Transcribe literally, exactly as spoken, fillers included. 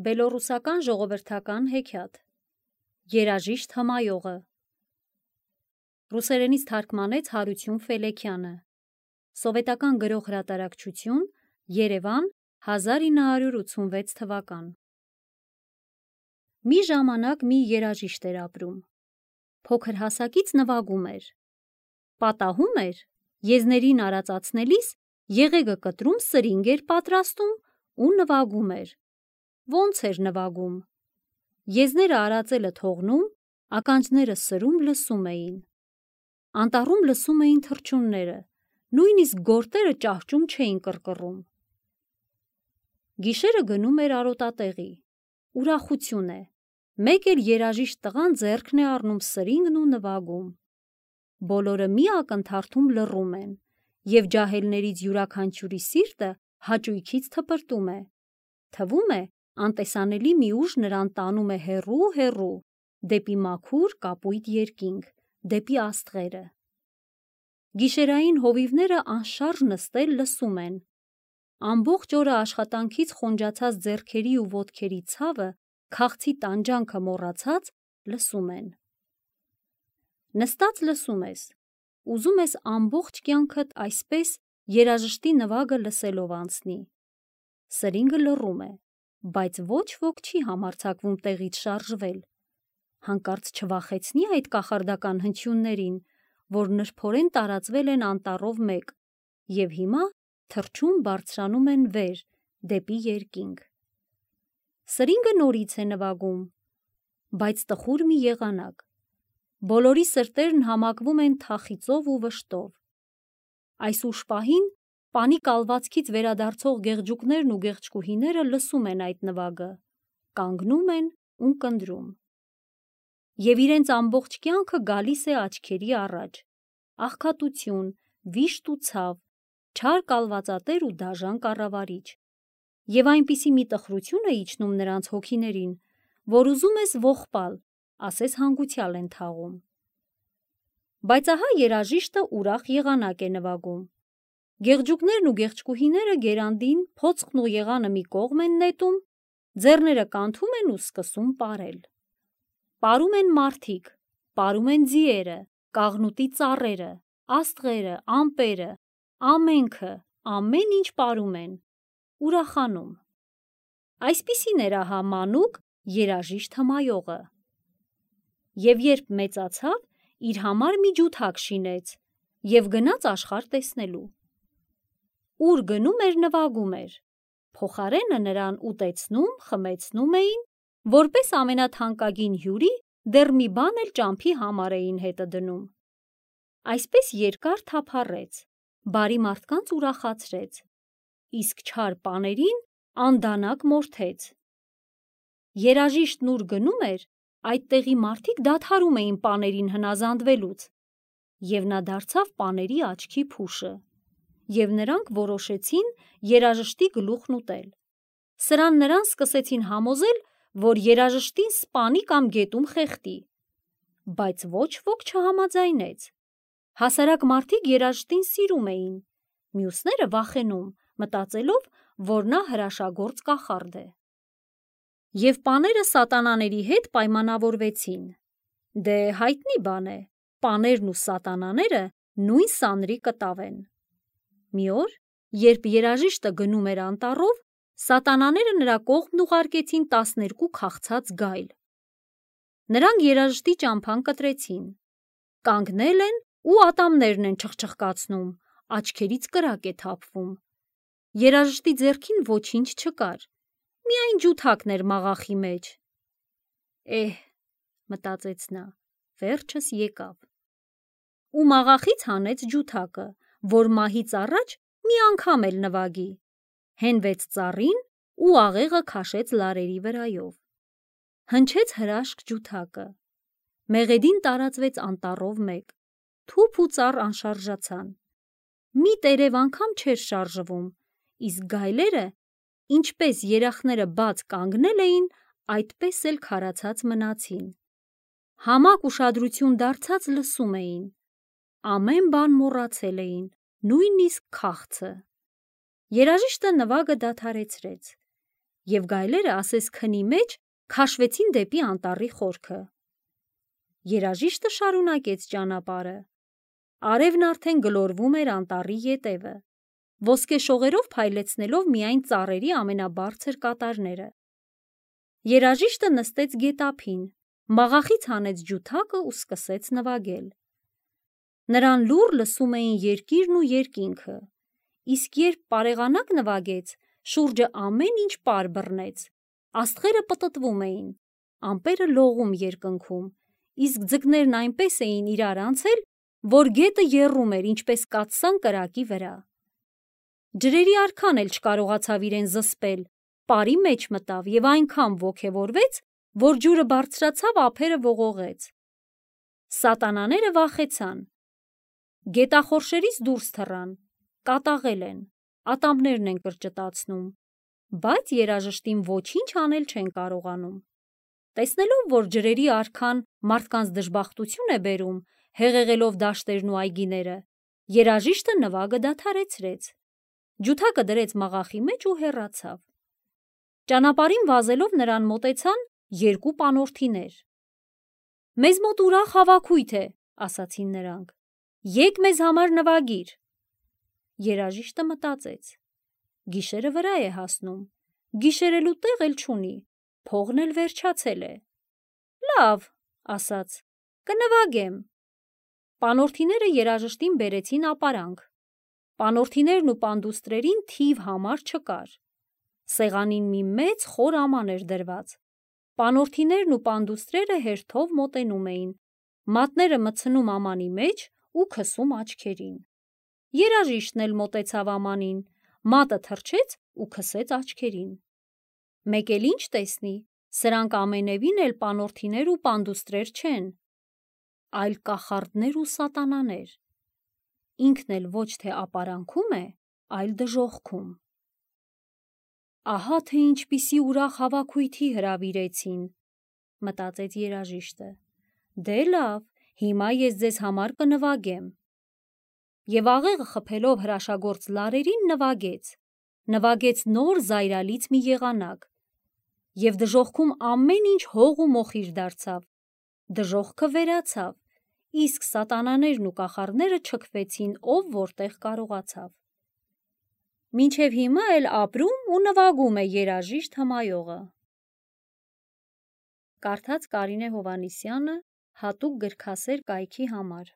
Բելոռուսական ժողովրդական հեքիաթ Երաժիշտ հմայողը Ռուսերենից թարգմանեց Հարություն Ֆելեքյանը Սովետական գրող հրատարակչություն Երևան հազար ինը հարյուր ութսունվեց թվական Մի ժամանակ մի երաժիշտ էր ապրում Փոքր հասակից նվագում էր Պատահում էր Եզներին արածացնելիս եղեգը կտրում սրինգ էր պատրաստում ու նվագում էր Ոնց էր նվագում Եզները արածելը թողնում ականջները սրում լսում էին Անտառում լսում էին թռչունները նույնիսկ գորտերը ճահճում չէին կռկռում Գիշերը գնում էր արոտատեղի Ուրախություն է Մեկ էլ երաժիշտ տղան ձեռքն է առնում սրինգն ու նվագում Բոլորը մի ակնթարթում լռում են Եվ ջահելներից յուրաքանչյուրի սիրտը հաճույքից թպրտում է Թվում է անտեսանելի մի ուժ նրան տանում է հեռու հեռու Դեպի մաքուր կապույտ երկինք Դեպի աստղերը Գիշերային հովիվները անշարժ նստել լսում են Ամբողջ օրը աշխատանքից խոնջացած ձեռքերի ու ոտքերի ցավը Քաղցի տանջանքը մոռացած լսում են Նստած լսում ես Ուզում ես ամբողջ կյանքդ այսպես երաժշտի նվագը լսելով անցնի Սրինգը լռում է Բայց ոչ ոք չի համարձակվում տեղից շարժվել Հանկարծ չվախեցնի այդ կախարդական հնչյուններին Որ նրբորեն տարածվել են անտառով մեկ Եվ հիմա թռչուն բարձրանում են վեր Դեպի երկինք Սրինգը նորից է նվագում Բայց տխուր մի եղանակ Բոլորի սրտերն համակվում են թախիծով ու վշտով Այս ուշ պահին Պանի կալվածքից վերադարձող գեղջուկներն ու գեղչկուհիները լսում են այդ նվագը Կանգնում են ու կնդրում Եվ իրենց ամբողջ կյանքը գալիս է աչքերի առաջ Աղքատություն, վիշտ ու ցավ, չար կալվածատեր ու դաժան կառավարիչ Եվ այնպիսի մի տխրություն է իջնում նրանց հոգիներին Որ ուզում ես ողբալ, ասես հանգուցյալ են թաղում Բայց ահա երաժիշտը ուրախ եղանակ է նվագում Գեղջուկներն ու գեղչկուհիները գերանդին փոցխն ու եղանը մի կողմ են նետում Ձեռները կանթում են ու սկսում պարել Պարում են մարդիկ, պարում են ձիերը, կաղնուտի ծառերը, աստղերը, ամպերը, ամենքը, ամեն ինչ պարում են, ուրախանում Այսպիսին էր ահա մանուկ երաժիշտ հմայողը Եվ երբ մեծացավ, իր համար մի ջութակ շինեց Եվ գնաց աշխարհ տեսնելու Ուր գնում էր նվագում էր Փոխարենը նրան ուտեցնում, խմեցնում էին Որպես ամենաթանկագին հյուրի դեռ մի բան էլ ճամփի համար էին հետը դնում Այսպես երկար թափառեց, բարի մարդկանց ուրախացրեց Իսկ չար պաներին անդանակ մորթեց Երաժիշտն ուր գնում էր, այդտեղի մարդիկ դադարում էին պաներին հնազանդվելուց Եվ նա դարձավ պաների աչքի փուշը Եվ նրանք որոշեցին երաժշտի գլուխն ուտել Սրան նրան սկսեցին համոզել, որ երաժշտին սպանի կամ գետում խեղդի Բայց ոչ ոք չհամաձայնեց Հասարակ մարդիկ երաժշտին սիրում էին Մյուսները վախենում, մտածելով, որ նա հրաշագործ կախարդ է Եվ պաները սատանաների հետ պայմանավորվեցին Դե հայտնի բան է, պաներն ու սատանաները նույն սանրի կտավ են Մի օր, երբ երաժիշտը գնում էր անտառով, սատանաները նրա կողմն ուղարկեցին տասներկու քաղցած գայլ Նրանք երաժշտի ճամփան կտրեցին Կանգնել են ու ատամներն են չխչխկացնում, աչքերից կրակ է թափվում Երաժշտի ձեռքին ոչինչ չկար, միայն ջութակն էր մաղախի մեջ Էհ, մտածեց նա, վերջս եկավ Ու մաղախից հանեց ջութակը, որ մահից առաջ մի անգամ էլ նվագի Հենվեց ծառին ու աղեղը քաշեց լարերի վրայով Հնչեց հրաշք ջութակը Մեղեդին տարածվեց անտառով մեկ Թուփ ու ծառ անշարժացան Մի տերև անգամ չէր շարժվում Իսկ գայլերը, ինչպես երախները բաց կանգնել էին, այդպես էլ քարացած մնացին Համակ ուշադրություն դարձած լսում էին Ամեն բան մոռացել էին, նույնիսկ քաղցը Երաժիշտը նվագը դադարեցրեց և գայլերը ասես քնի մեջ քաշվեցին դեպի անտառի խորքը։ Երաժիշտը շարունակեց ճանապարհը։ Արևն արդեն գլորվում էր անտառի ետևը, ոսկե շողերով փայլեցնելով միայն ծառերի ամենաբարձր կատարները։ Երաժիշտը նստեց գետափին, մաղախից հանեց ջութակը ու սկսեց նվագել։ Նրան լուռ լսում էին երկիրն ու երկինքը, իսկ երբ պարեղանակ նվագեց, շուրջը ամեն ինչ պար բռնեց, աստղերը պտտվում էին, ամպերը լողում երկնքում, իսկ ձկներն այնպես էին իրար անցել, որ գետը եռում էր ինչպես կաթսան կրակի վրա։ Ջրերի արքան էլ չկարողացավ իրեն զսպել, պարի մեջ մտավ և այնքան ոգևորվեց, որ ջուրը բարձրացավ ափերը ողողեց։ Սատանաները վախեցան, գետախորշերից դուրս թռան, կատաղել են, ատամներն են կրճտացնում, բայց երաժշտին ոչինչ անել չեն կարողանում։ Տեսնելով, որ ջրերի արքան մարդկանց դժբախտություն է բերում, հեղեղելով դաշտերն ու այգիները, երաժիշտը նվագը դադարեցրեց, ջութակը դրեց մաղախի մեջ ու հեռացավ։ Ճանապարհին վազելով նրան մոտեցան երկու պանոթիներ։ «Մեզ մոտ ուրախ հավաքույթ է», ասացին նրանք, «եկ մեզ համար նվագիր»։ Երաժիշտը մտածեց. գիշերը վրա է հասնում, գիշերելու տեղ էլ չունի, փողն էլ վերջացել է։ Լավ, ասաց, կնվագեմ։ Պանոթիները երաժշտին բերեցին ապարանք։ Պանոթիներն ու պանդուստրերին թիվ համար չկար։ Սեղանին մի մեծ խոր աման էր դրված։ Պանոթիներն ու պանդուստրերը հերթով մոտենում էին, մատները մտցնում ամանի մեջ ու քսում աչքերին։ Երաժիշտն էլ մոտեցավ ամանին, մատը թռչեց ու քսեց աչքերին։ Մեկ էլ ինչ տեսնի, սրանք ամենևին էլ պանոթիներ ու պանդուստրեր չեն, այլ կախարդներ ու սատանաներ։ Ինքն էլ ոչ թե ապարանքում է, այլ դժոխքում։ Ահա թե ինչպիսի ուրախ հավաքույթի հրավիրեցին, մտածեց երաժիշտը։ Դե լավ, հիմա ես ձեզ համար կնվագեմ։ Եվ աղեղը խփելով հրաշագործ լարերին նվագեց, նվագեց նոր զայրալից մի եղանակ, և դժոխքում ամեն ինչ հող ու մոխիր դարձավ, դժոխքը վերացավ, իսկ սատանաներն ու կախարդները չքվեցին ով որտեղ կարողացավ։ Մինչև հիմա էլ ապրում ու նվագում է երաժիշտ հմայողը։ Կարդաց Կարինե Հովհաննիսյանը հատուկ գրքասեր կայքի համար։